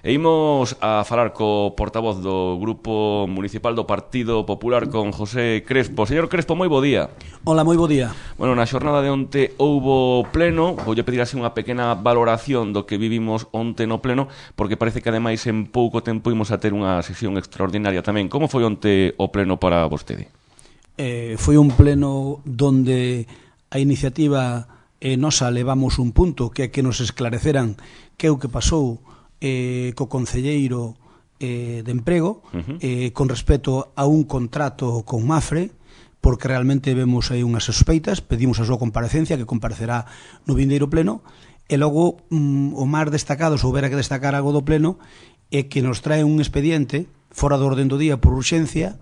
E imos a falar co portavoz do Grupo Municipal do Partido Popular, con José Crespo. Señor Crespo, moi bo día. Hola, moi bo día. Bueno, na xornada de onte houbo pleno. Voulle pedir así unha pequena valoración do que vivimos onte no pleno, porque parece que ademais en pouco tempo imos a ter unha sesión extraordinaria tamén. Como foi onte o pleno para vostede? Foi un pleno donde a iniciativa nosa levamos un punto, que é que nos esclareceran que é o que pasou co concelleiro de emprego con respecto a un contrato con Mafre, porque realmente vemos aí unhas sospeitas. Pedimos a súa comparecencia, que comparecerá no vindeiro pleno, e logo o máis destacado, se houbera que destacar algo do pleno, é que nos trae un expediente fora do orden do día por urxencia,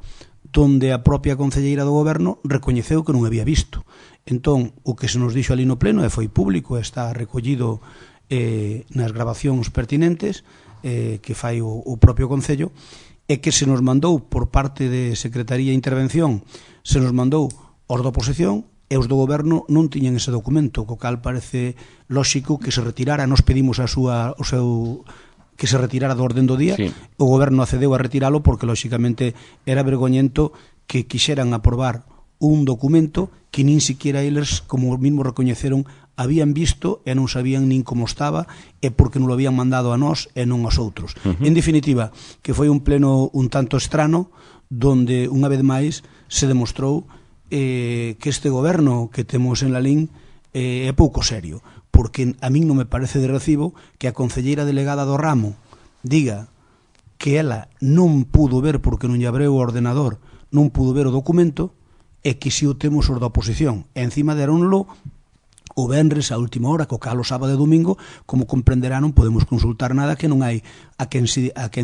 donde a propia concelleira do goberno recoñeceu que non había visto. Entón, o que se nos dixo ali no pleno, e foi público, está recollido nas grabacións pertinentes que fai o propio Concello, é que se nos mandou por parte de Secretaría de Intervención, se nos mandou os da oposición, e os do goberno non tiñan ese documento, co cal parece lóxico que se retirara. Nos pedimos que se retirara do orden do día, sí. O goberno accedeu a retiralo porque lóxicamente era vergoñento que quixeran aprobar un documento que nin siquiera eles, como mesmo recoñeceron, habían visto e non sabían nin como estaba, e porque non lo habían mandado a nós e non aos outros. En definitiva, que foi un pleno un tanto estrano, donde unha vez máis se demostrou que este goberno que temos en Lalín é pouco serio, porque a min non me parece de recibo que a concelleira delegada do ramo diga que ela non pudo ver, porque non lle abreu o ordenador, non pudo ver o documento, e que si o temos os da oposición. E encima deronlo o venres a última hora, co cal o sábado e domingo, como comprenderá, non podemos consultar nada, que non hai a quen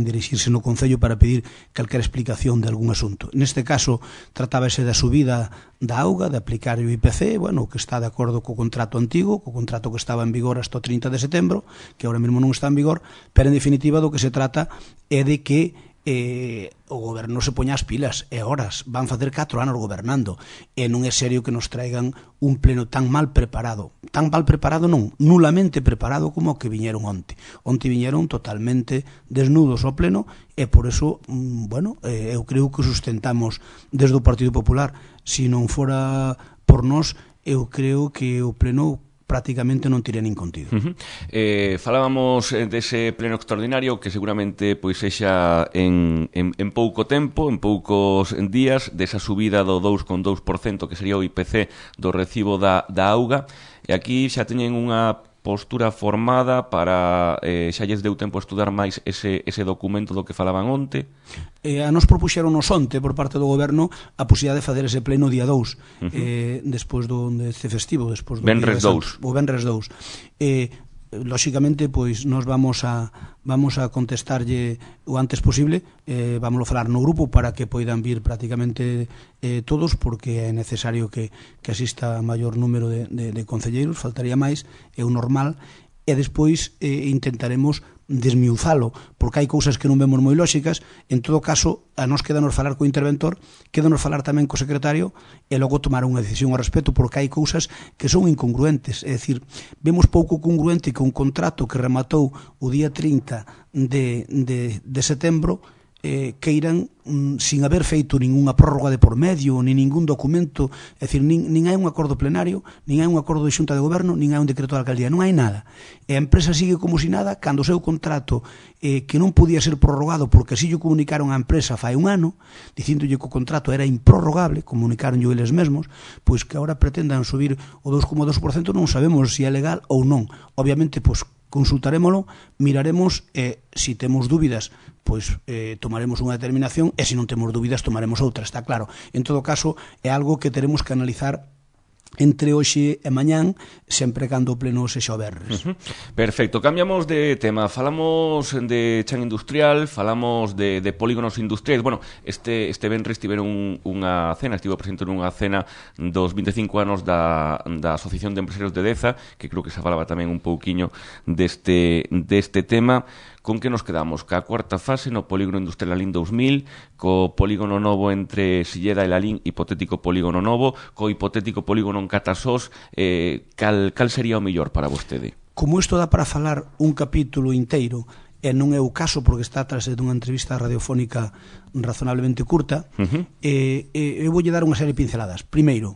dirixirse no Concello para pedir calquera explicación de algún asunto. Neste caso, tratábase da subida da auga, de aplicar o IPC, bueno, que está de acordo co contrato antigo, co contrato que estaba en vigor hasta o 30 de setembro, que ahora mesmo non está en vigor, pero en definitiva do que se trata é de que o goberno se poña as pilas, e horas van facer 4 anos gobernando, e non é serio que nos traigan un pleno tan mal preparado non, nulamente preparado como o que viñeron onte viñeron totalmente desnudos ao pleno, e por eso, eu creo que sustentamos desde o Partido Popular. Se non fora por nós, eu creo que o pleno prácticamente non tira nin contido. Falábamos dese pleno extraordinario que seguramente pois sexa en pouco tempo, en poucos días, desa subida do 2,2% que sería o IPC do recibo da auga, e aquí xa teñen unha postura formada para xa lles deu tempo a estudar máis ese documento do que falaban onte. A nos propuxeron onte por parte do goberno a posibilidade de facer ese pleno día 2, despois deste festivo, despois do Venres 2. O Venres 2. Lóxicamente, pois nós vamos a contestarlle o antes posible, vamos a falar no grupo para que poidan vir prácticamente todos, porque é necesario que asista a maior número de concelleiros, faltaría máis, é o normal, e despois intentaremos desmiuzalo, porque hai cousas que non vemos moi lóxicas. En todo caso, a nós quedanos falar co interventor, quedanos falar tamén co secretario, e logo tomar unha decisión ao respecto, porque hai cousas que son incongruentes. É dicir, vemos pouco congruente que un contrato que rematou o día 30 de setembro queiran, sin haber feito ningunha prórroga de por medio, nin ningún documento, é dicir, nin hai un acordo plenario, nin hai un acordo de xunta de goberno, nin hai un decreto de alcaldía, non hai nada. E a empresa sigue como si nada, cando o seu contrato que non podía ser prorrogado, porque así lle comunicaron á empresa fai un ano, dicíndolle que o contrato era improrrogable, comunicaron eles mesmos, pois que agora pretendan subir o 2,2%, non sabemos se é legal ou non. Obviamente, pois consultarémolo, miraremos, e se temos dúbidas, pois tomaremos unha determinación, e se non temos dúbidas tomaremos outra, está claro. En todo caso, é algo que teremos que analizar entre hoxe e mañán, sempre cando o pleno sexa o venres. Perfecto, cambiamos de tema. Falamos de chan industrial, falamos de polígonos industriais. Bueno, este venres tiveron unha cena, estivo presente nunha cena dos 25 anos da Asociación de Empresarios de Deza, que creo que se falaba tamén un pouquiño deste tema. Con que nos quedamos? Ca cuarta fase no polígono industrial Lalín 2000, co polígono novo entre Silleda e Lalín, hipotético polígono novo, co hipotético polígono en Catasós, cal sería o mellor para vostede? Como isto dá para falar un capítulo inteiro, e non é o caso porque está tras dunha entrevista radiofónica razonablemente curta, eu voulle dar unha serie de pinceladas. Primeiro,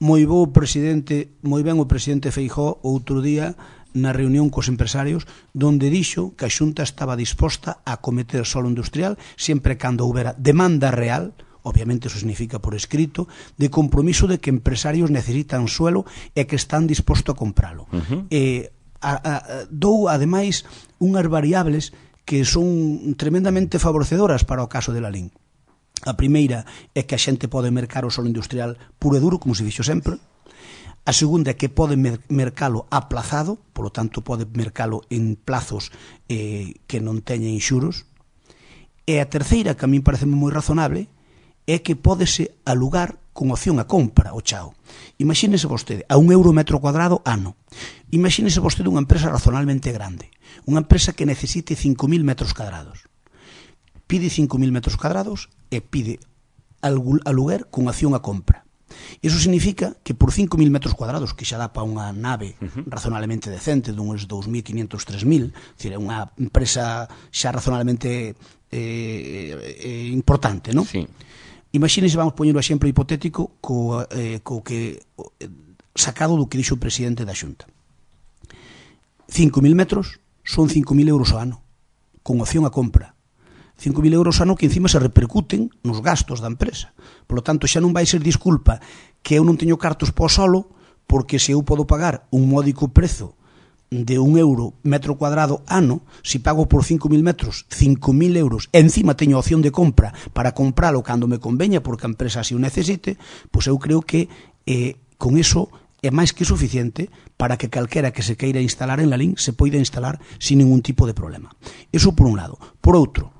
moi ben o presidente Feijóo outro día na reunión cos empresarios donde dixo que a Xunta estaba disposta a acometer solo industrial sempre cando houbera demanda real, obviamente eso significa por escrito, de compromiso de que empresarios necesitan suelo e que están dispostos a compralo. Dou ademais unhas variables que son tremendamente favorecedoras para o caso de Lalín. A primeira é que a xente pode mercar o solo industrial puro e duro, como se fixo sempre. A segunda é que pode mercalo aplazado, polo tanto pode mercalo en plazos que non teñen xuros. E a terceira, que a min parece moi razonable, é que pódese alugar con opción a compra o chao. Imagínese vostede, a €1 metro cuadrado ano. Imagínese vostede unha empresa razonablemente grande, unha empresa que necesite 5.000 metros cuadrados. Pide 5.000 metros cuadrados e pide aluguer con opción a compra. Iso significa que por 5.000 metros cuadrados, que xa dá para unha nave razonablemente decente, dunhos 2.500, 3.000, é unha empresa xa razonablemente importante, non? Sí. Imagínese, vamos poñer o exemplo hipotético co que sacado do que dixo o presidente da Xunta. 5.000 metros son 5.000 euros ao ano, con opción a compra. 5.000 euros ano que encima se repercuten nos gastos da empresa. Por lo tanto, xa non vai ser disculpa que eu non teño cartos para o solo, porque se eu podo pagar un módico prezo de €1 metro cuadrado ano, se pago por 5.000 metros 5.000 euros, e encima teño opción de compra para compralo cando me conveña porque a empresa así o necesite, pois eu creo que con iso é máis que suficiente para que calquera que se queira instalar en Lalín se poida instalar sin ningún tipo de problema. Iso por un lado. Por outro,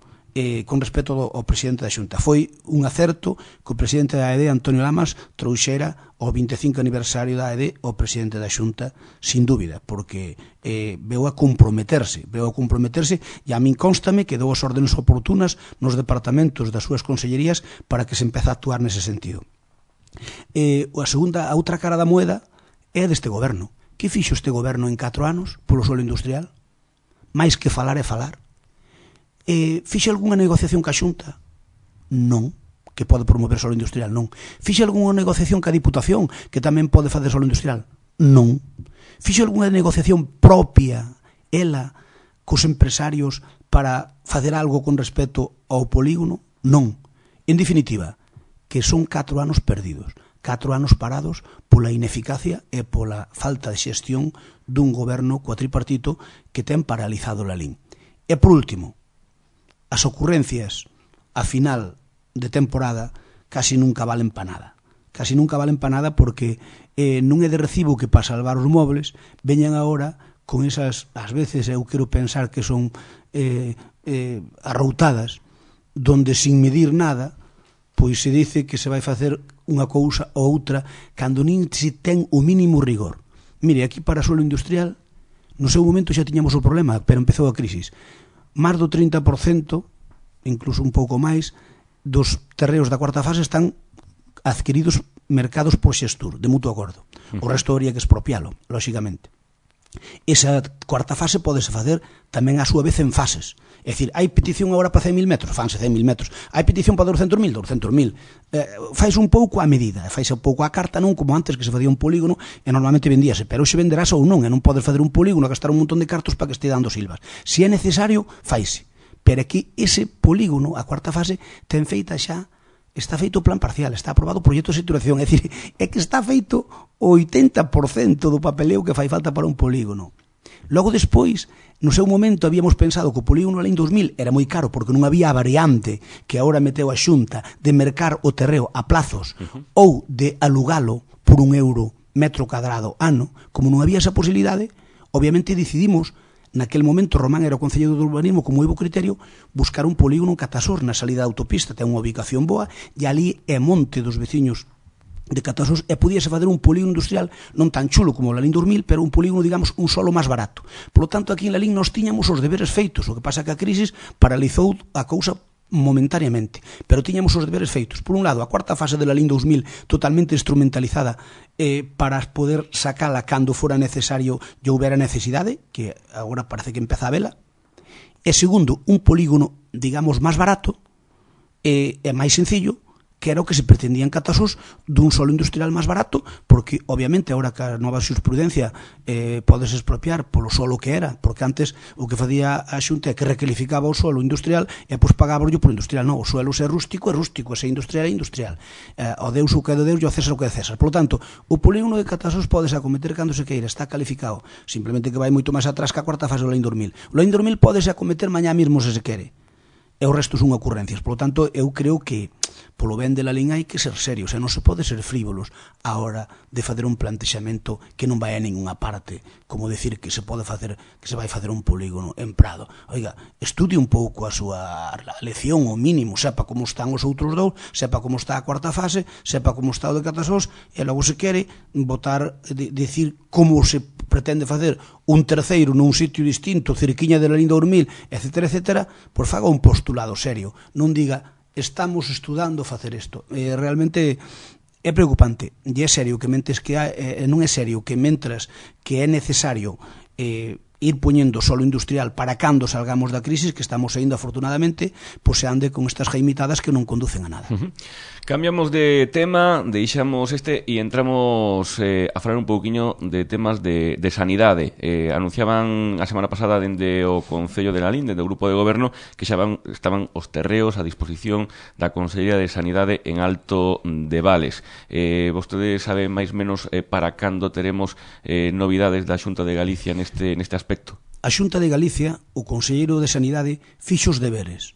con respecto ao presidente da Xunta, foi un acerto que o presidente da AED, Antonio Lamas, trouxera ao 25 aniversario da AED ao presidente da Xunta, sin dúbida, porque veu a comprometerse, e a min constame que dou as ordenes oportunas nos departamentos das súas consellerías para que se empece a actuar nese sentido. A outra cara da moeda é deste goberno. Que fixo este goberno en 4 anos polo suelo industrial? Mais que falar é falar. Fixe algunha negociación ca Xunta? Non, que pode promover solo industrial, non. Fixe algunha negociación ca Diputación, que tamén pode facer solo industrial? Non. Fixe algunha negociación propia, ela, cos empresarios para facer algo con respecto ao polígono? Non. En definitiva, que son 4 anos perdidos, 4 anos parados pola ineficacia e pola falta de xestión dun goberno cuatripartito que ten paralizado Lalín. E por último, as ocurrencias a final de temporada casi nunca valen pa nada. Casi nunca valen pa nada porque non é de recibo que para salvar os mobles veñan agora con esas, ás veces eu quero pensar que son arroutadas, donde sin medir nada pois se dice que se vai facer unha cousa ou outra cando nin se ten o mínimo rigor. Mire, aquí para suelo industrial no seu momento xa tiñamos o problema, pero empezou a crisis. Máis do 30%, incluso un pouco máis, dos terreos da cuarta fase están adquiridos mercados por xestur, de mutuo acordo. O resto habría que expropialo, lóxicamente. Esa cuarta fase podese facer tamén a súa vez en fases. É dicir, hai petición agora para 100.000 metros, fanse 100.000 metros. Hai petición para 200.000, 200.000. Faise un pouco a medida, faise un pouco a carta, non como antes que se facía un polígono e normalmente vendíase, pero hoxe venderás ou non, e non podes facer un polígono a gastar un montón de cartos para que este dando silvas. Se é necesario, faise. Pero aquí ese polígono, a cuarta fase, ten feita xa, está feito o plan parcial, está aprobado o proxecto de saturación, é dicir, é que está feito o 80% do papeleo que fai falta para un polígono. Logo despois, no seu momento habíamos pensado que o polígono Lalín 2000 era moi caro porque non había a variante que agora meteu a Xunta de mercar o terreo a plazos ou de alugalo por €1 metro cuadrado ano. Como non había esa posibilidade, obviamente decidimos, naquel momento Román era o Concelleiro do Urbanismo con moi bo criterio, buscar un polígono en Catasor, na salida da autopista, ten unha ubicación boa, e ali é monte dos veciños de Catasor e podíase fazer un polígono industrial non tan chulo como o Lalín 2000, pero un polígono, digamos, un solo máis barato. Por lo tanto, aquí en Lalín nos tiñamos os deberes feitos, o que pasa que a crisis paralizou a cousa momentáneamente, pero tiñamos os deberes feitos. Por un lado, a cuarta fase de Lalín 2000 totalmente instrumentalizada para poder sacala cando fora necesario e houbera necesidade, que agora parece que empeza a vela, E segundo, un polígono, digamos, máis barato e máis sencillo, que era o que se pretendía en Catasús, dun solo industrial máis barato, porque, obviamente, agora que a nova xurisprudencia podes expropiar polo solo que era, porque antes o que facía a Xunta é que recalificaba o suelo industrial e pois pagaba por industrial. Non, o suelo se é rústico, se é industrial, é industrial. O Deus o que é de Deus e o César o que é de César. Por lo tanto, o polígono de Catasús podes acometer cando se queira, está calificado, simplemente que vai moito máis atrás que a cuarta fase do Laín 2000. O Laín 2000 podes acometer mañá mesmo se quere, e o resto son ocurrencias. Por lo tanto, eu creo que polo ben de la Laín hai que ser serios, e non se pode ser frívolos a hora de fazer un plantexamento que non vai a ninguna parte, como decir que se pode facer, que se vai facer un polígono en Prado. Oiga, estudie un pouco a súa lección, o mínimo, sepa como están os outros dous, sepa como está a cuarta fase, sepa como está o de Catasós, e logo se quere votar, decir como se pretende facer un terceiro nun sitio distinto, cerquiña de la Laín 2000, etcétera, etcétera, pois faga un postulado serio, non diga estamos estudando facer isto. Realmente é preocupante, e é serio que mentes que non é serio que mentras que é necesario ir poñendo solo industrial para cando salgamos da crisis, que estamos saindo afortunadamente, pois se ande con estas jaimitadas que non conducen a nada. Cambiamos de tema, deixamos e entramos a falar un pouquiño de temas de sanidade. Anunciaban a semana pasada dende o Concello de Lalín, dende o Grupo de Goberno, que xa estaban os terreos a disposición da Consellería de Sanidade en Alto de Vales. Vostede sabe máis menos para cando teremos novidades da Xunta de Galicia neste aspecto? A Xunta de Galicia, o Conselleiro de Sanidade, fixo os deberes.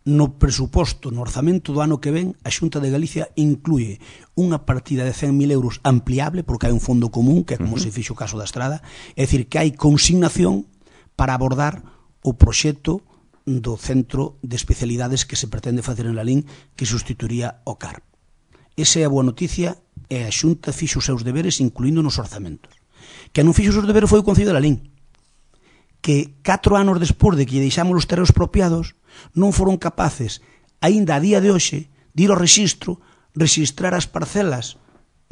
No presuposto, no orzamento do ano que ven, a Xunta de Galicia inclúe unha partida de 100.000 euros ampliable, porque hai un fondo común, que é como se fixo o caso da Estrada, é dicir, que hai consignación para abordar o proxecto do centro de especialidades que se pretende facer en Lalín, que sustituiría o CARP. Esa é a boa noticia, e a Xunta fixo os seus deberes incluindo nos orzamentos. Que non fixo os seus deberes foi o Concello de Lalín, que 4 anos despois de que lle deixamos os terreos expropiados non foron capaces, aínda a día de hoxe, de ir ao rexistro, registrar as parcelas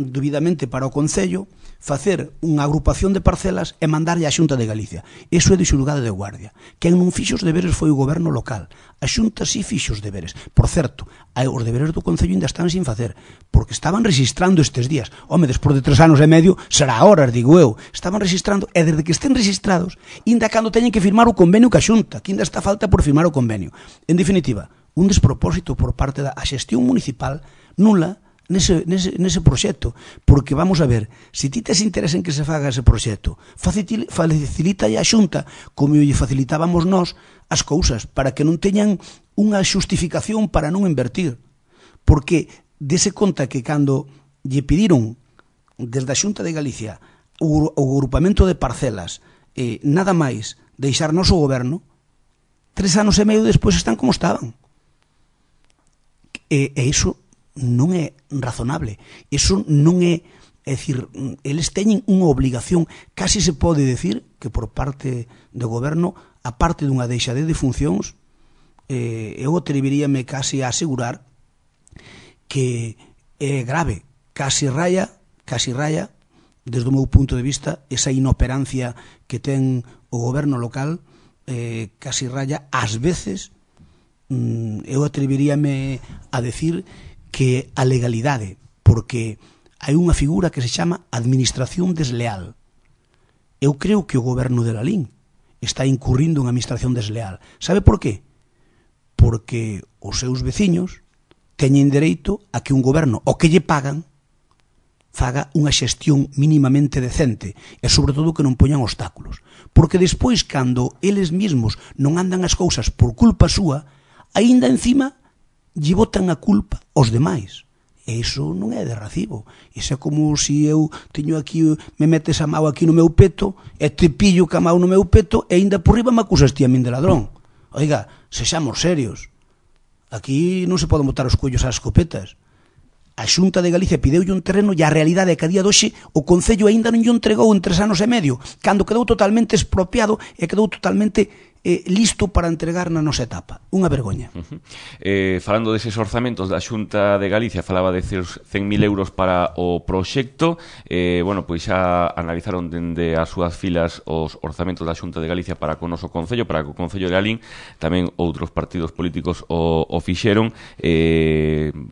debidamente para o Concello, facer unha agrupación de parcelas e mandarlle á Xunta de Galicia. Iso é de xulgado de guardia. Quen non fixo os deberes foi o goberno local. A Xunta sí fixo os deberes. Por certo, os deberes do Concello ainda están sin facer, porque estaban registrando estes días. Home, despois de 3 anos e medio, será horas, digo eu. Estaban registrando, e desde que estén registrados, ainda cando teñen que firmar o convenio ca Xunta, que ainda está falta por firmar o convenio. En definitiva, un despropósito por parte da xestión municipal nula nese proxecto, porque vamos a ver, se ti tes interés en que se faga ese proxecto, facilita a Xunta como lle facilitábamos nós as cousas, para que non teñan unha xustificación para non invertir, porque dese conta que cando lle pediron desde a Xunta de Galicia o agrupamento de parcelas, nada máis deixar noso goberno, 3 anos e medio despois están como estaban, e iso non é razonable, iso non é, é dicir, eles teñen unha obligación, casi se pode decir que por parte do goberno, a parte dunha deixadez de funcións, eu atreveríame casi a asegurar que é grave, casi raya, desde o meu punto de vista, esa inoperancia que ten o goberno local, casi raya, ás veces, eu atreveríame a decir que a legalidade, porque hai unha figura que se chama administración desleal. Eu creo que o goberno de Lalín está incurrindo en administración desleal. Sabe por qué? Porque os seus veciños teñen dereito a que un goberno, o que lle pagan, faga unha xestión mínimamente decente e, sobre todo, que non poñan obstáculos. Porque despois, cando eles mesmos non andan as cousas por culpa súa, aínda encima lle botan a culpa aos demais. E iso non é de recibo. Iso é como se eu teño aquí, me metes a mão aquí no meu peto, e te pillo ca mão no meu peto, e ainda por riba me acusas ti a min de ladrón. Oiga, sexamos serios. Aquí non se poden botar os cuellos ás escopetas. A Xunta de Galicia pideulle un terreno e a realidade é que a día doxe o Concello aínda non lle entregou en 3 anos e medio, cando quedou totalmente expropiado e quedou totalmente listo para entregar na nosa etapa. Unha vergoña. Falando deses orzamentos da Xunta de Galicia, falaba de 100.000 euros para o proxecto. Bueno, pois xa analizaron dende as súas filas os orzamentos da Xunta de Galicia para con o noso Concello, para co Concello de Lalín. Tamén outros partidos políticos o fixeron.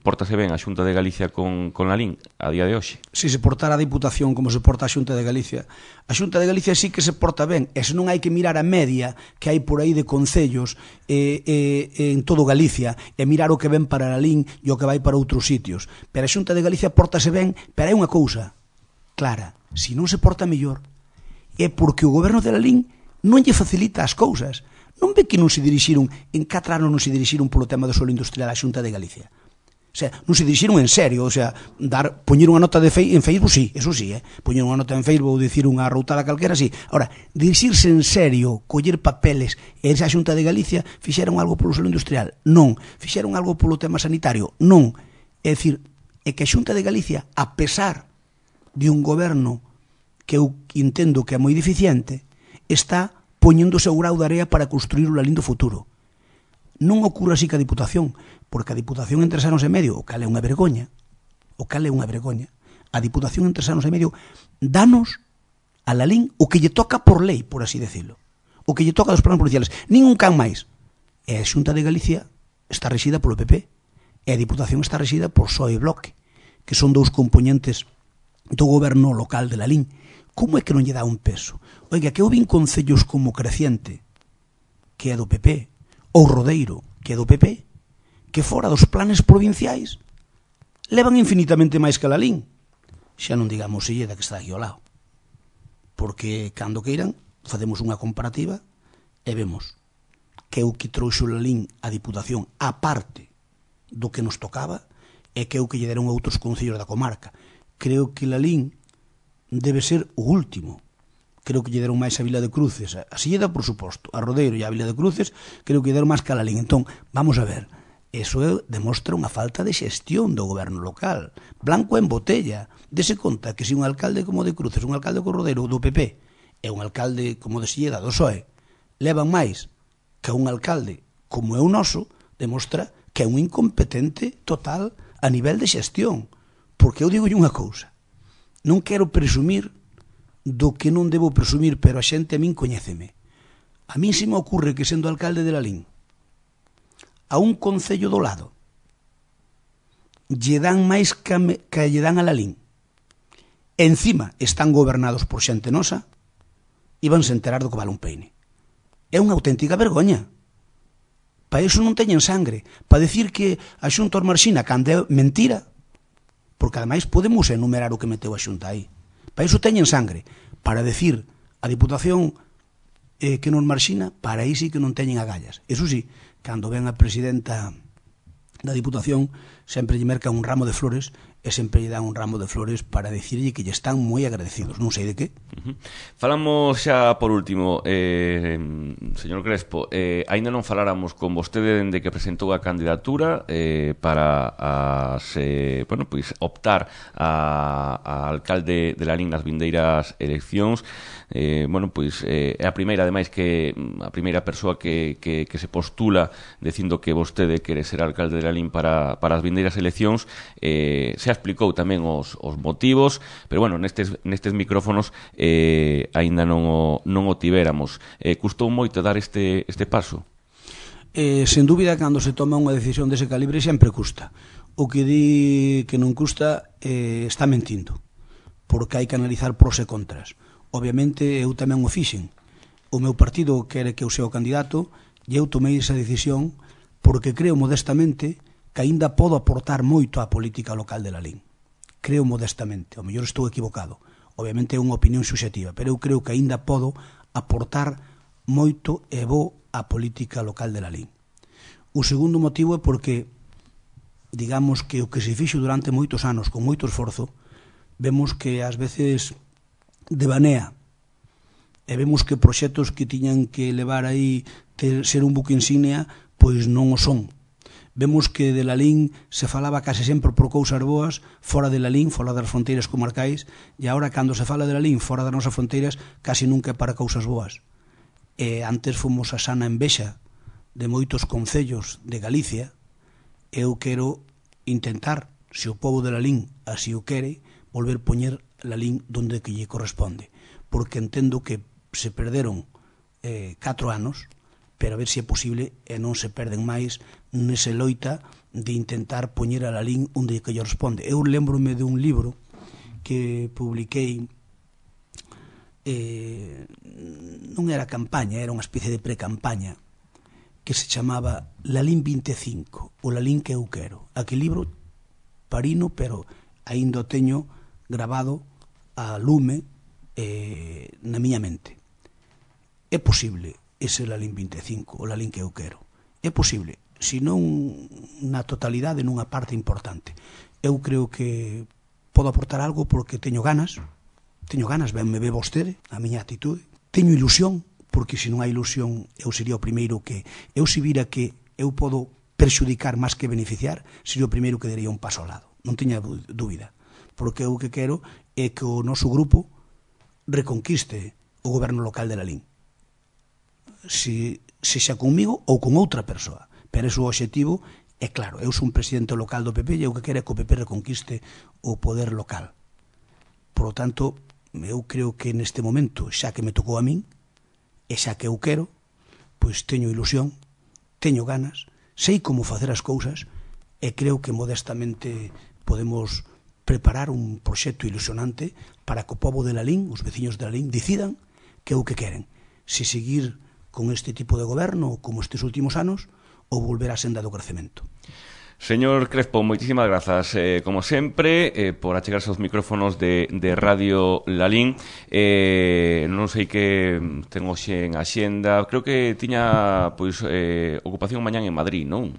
Pórtase ben a Xunta de Galicia con Lalín a día de hoxe? Si se portara a Diputación como se porta a Xunta de Galicia, a Xunta de Galicia sí que se porta ben, e se non hai que mirar a media que hai por aí de concellos en todo Galicia e mirar o que ven para Lalín e o que vai para outros sitios. Pero a Xunta de Galicia portase ben, pero hai unha cousa clara: se non se porta mellor é porque o goberno de Lalín non lle facilita as cousas. Non ve que non se dirixiron, en 4 anos non se dirixiron polo tema do suelo industrial a Xunta de Galicia. O sea, non se dirixiron en serio, o sea, poñer unha nota en Facebook, sí, eso sí, poñer unha nota en Facebook ou dicir unha routada calquera, sí. Ahora, dirixirse en serio, coller papeles e irse a Xunta de Galicia, fixeron algo polo suelo industrial? Non. Fixeron algo polo tema sanitario? Non. É dicir, é que a Xunta de Galicia, a pesar de un goberno que eu entendo que é moi deficiente, está poñendo o seu grau de area para construir o Lalín do futuro. Non ocurre así que a Diputación, porque a Diputación en 3 anos e medio, o cal é unha vergoña, a Diputación en 3 anos e medio danos a Lalín o que lle toca por lei, por así decirlo, o que lle toca dos planos provinciales, ningún can máis. E a Xunta de Galicia está regida polo PP, e a Diputación está regida por PSOE e Bloque, que son dous componentes do goberno local de Lalín. Como é que non lle dá un peso? Oiga, que eu vin concellos como Creciente, que é do PP, ou Rodeiro, que é do PP, que fora dos planes provinciais levan infinitamente máis que Lalín. Xa non digamos Silleda, que está aquí ao lado. Porque, cando queiran, facemos unha comparativa e vemos que o que trouxo Lalín a Diputación, a parte do que nos tocaba, é que o que lle deron outros concellos da comarca. Creo que Lalín debe ser o último. Creo que lle deron máis a Vila de Cruces, a Silleda, por suposto, a Rodeiro e a Vila de Cruces, creo que lle deron máis que a Lalín. Entón, vamos a ver, eso demostra unha falta de xestión do goberno local. Blanco en botella. Dese conta que se un alcalde como de Cruces, un alcalde como Rodeiro do PP, e un alcalde como de Silleda do PSOE, levan máis que un alcalde como é o noso, demostra que é un incompetente total a nivel de xestión. Porque eu digo unha cousa: non quero presumir do que non debo presumir, pero a xente a min coñéceme. A min se me ocurre que, sendo alcalde de Lalín, a un concello do lado lle dan máis que lle dan a Lalín. Encima están gobernados por xente nosa e vanse enterar do que vale un peine. É unha auténtica vergoña. Para iso non teñen sangre. Para decir que a Xunta os marxina cando é mentira, porque ademais podemos enumerar o que meteu a Xunta aí. Para iso teñen sangre. Para decir a Diputación que non marxina, para aí sí que non teñen agallas. Eso sí, cando ven a presidenta da Diputación, sempre lle mercan un ramo de flores e sempre lle dan un ramo de flores para dicirlle que lle están moi agradecidos. Non sei de que. Falamos xa por último, señor Crespo, aínda non faláramos con vostede dende que presentou a candidatura para bueno, pois, optar a alcalde de Lalín nas vindeiras eleccións. Bueno, pois é a primeira, ademais, que a primeira persoa que se postula dicindo que vostede quere ser alcalde de Lalín para as vindeiras eleccións. Se explicou tamén os motivos, pero bueno, nestes micrófonos aínda non o tivéramos. Custou moito dar este paso? Sen dúbida, cando se toma unha decisión dese calibre sempre custa. O que di que non custa está mentindo, porque hai que analizar pros e contras. Obviamente eu tamén o fixen. O meu partido quere que eu sea o candidato e eu tomei esa decisión porque creo modestamente que aínda podo aportar moito á política local de Lalín. Creo modestamente, ao mellor estou equivocado. Obviamente é unha opinión subxectiva, pero eu creo que aínda podo aportar moito e bo á política local de Lalín. O segundo motivo é porque, digamos que o que se fixo durante moitos anos con moito esforzo, vemos que ás veces devanea, e vemos que proxectos que tiñan que levar aí ser un buque insignia, pois non o son. Vemos que de Lalín se falaba case sempre por cousas boas fora de Lalín, fora das fronteiras comarcais, e agora cando se fala de Lalín fora das nosas fronteiras case nunca é para cousas boas. Antes fomos a sana envexa de moitos concellos de Galicia. Eu quero intentar, se o povo de Lalín así o quere, volver poñer Lalín donde que lle corresponde, porque entendo que se perderon 4 anos, pero a ver se é posible e non se perden máis nese loita de intentar poñer a Lalín onde que lle corresponde. Eu lembrome de un libro que publiquei, non era campaña, era unha especie de pre-campaña, que se chamaba Lalín 25, o Lalín que eu quero. Aquel libro parino, pero aínda o teño grabado a lume na miña mente. É posible ese Lalín 25, o Lalín que eu quero. É posible, se non na totalidade, nunha parte importante. Eu creo que podo aportar algo porque teño ganas, ben me ve vostede, a miña actitude, teño ilusión, porque se non hai ilusión eu sería o primeiro que, eu se vira que eu podo perxudicar máis que beneficiar, sería o primeiro que daría un paso ao lado, non teña dúbida, porque eu que quero é que o noso grupo reconquiste o goberno local de Lalín, se xa comigo ou con outra persoa, pero ese o obxectivo é claro. Eu sou un presidente local do PP e eu que quero é que o PP reconquiste o poder local. Por lo tanto, eu creo que neste momento, xa que me tocou a min, e xa que eu quero, pois teño ilusión, teño ganas, sei como facer as cousas e creo que modestamente podemos preparar un proxecto ilusionante para que o povo de Lalín, os veciños de Lalín, decidan que é o que queren, se seguir con este tipo de goberno como estes últimos anos ou volver á senda do crecemento. Señor Crespo, moitísimas grazas, como sempre, por achegarse aos micrófonos de Radio Lalín. Non sei que ten hoxe en axenda, creo que tiña pois ocupación mañán en Madrid, non?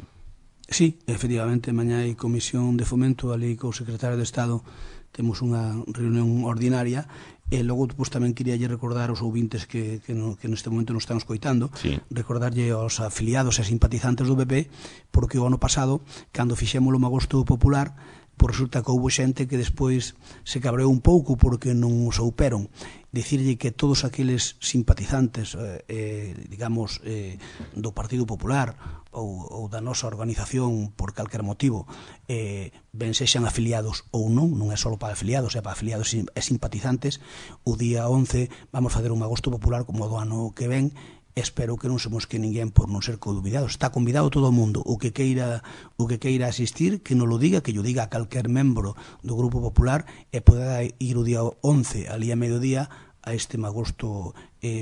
Sí, efectivamente, mañá hai comisión de fomento, ali co secretario de Estado temos unha reunión ordinaria. E logo pues, tamén quería recordar aos ouvintes que neste momento nos están escoitando, sí, recordarlle aos afiliados e simpatizantes do PP, porque o ano pasado, cando fixemos o Magosto Popular, pues resulta que houve xente que despois se cabreou un pouco porque non o souperon. Dicirlle que todos aqueles simpatizantes digamos do Partido Popular ou da nosa organización por calquer motivo, ben sexan afiliados ou non é só para afiliados, é para afiliados e simpatizantes, o día 11 vamos facer un Agosto Popular como do ano que ven. Espero que non se mosque ninguén por non ser convidado. Está convidado todo o mundo. O que queira asistir, que non lo diga, que yo diga a calquer membro do Grupo Popular e poda ir o día 11 ali a mediodía a este Magosto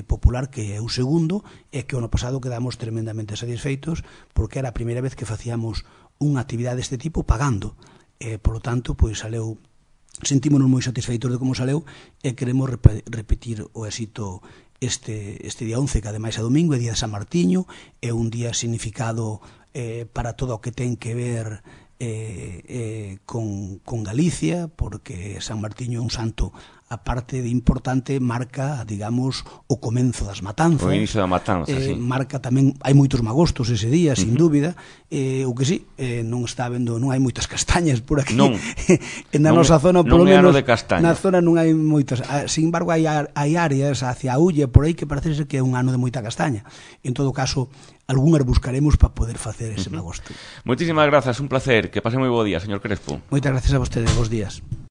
Popular, que é o segundo, e que o ano pasado quedamos tremendamente satisfeitos porque era a primeira vez que facíamos unha actividade deste tipo pagando. Por lo tanto, pois saleu, sentímonos moi satisfeitos de como saleu e queremos repetir o éxito este día 11, que ademais é domingo, é día de San Martiño, é un día significado para todo o que ten que ver con Galicia, porque San Martiño é un santo, aparte de importante, marca, digamos, o comenzo das matanzas. O inicio da matanza, sí. Marca tamén, hai moitos magostos ese día, sin dúbida, o que sí, non está vendo, non hai moitas castañas por aquí. Non. Na nosa zona, polo menos, de castaña. Na zona non hai moitas. Sin embargo, hai áreas hacia a Ulla, por aí, que parece ser que é un ano de moita castaña. En todo caso, algunhas buscaremos para poder facer ese magosto. Moitísimas grazas, un placer, que pase moi bo día, señor Crespo. Moitas gracias a vostede, bons días.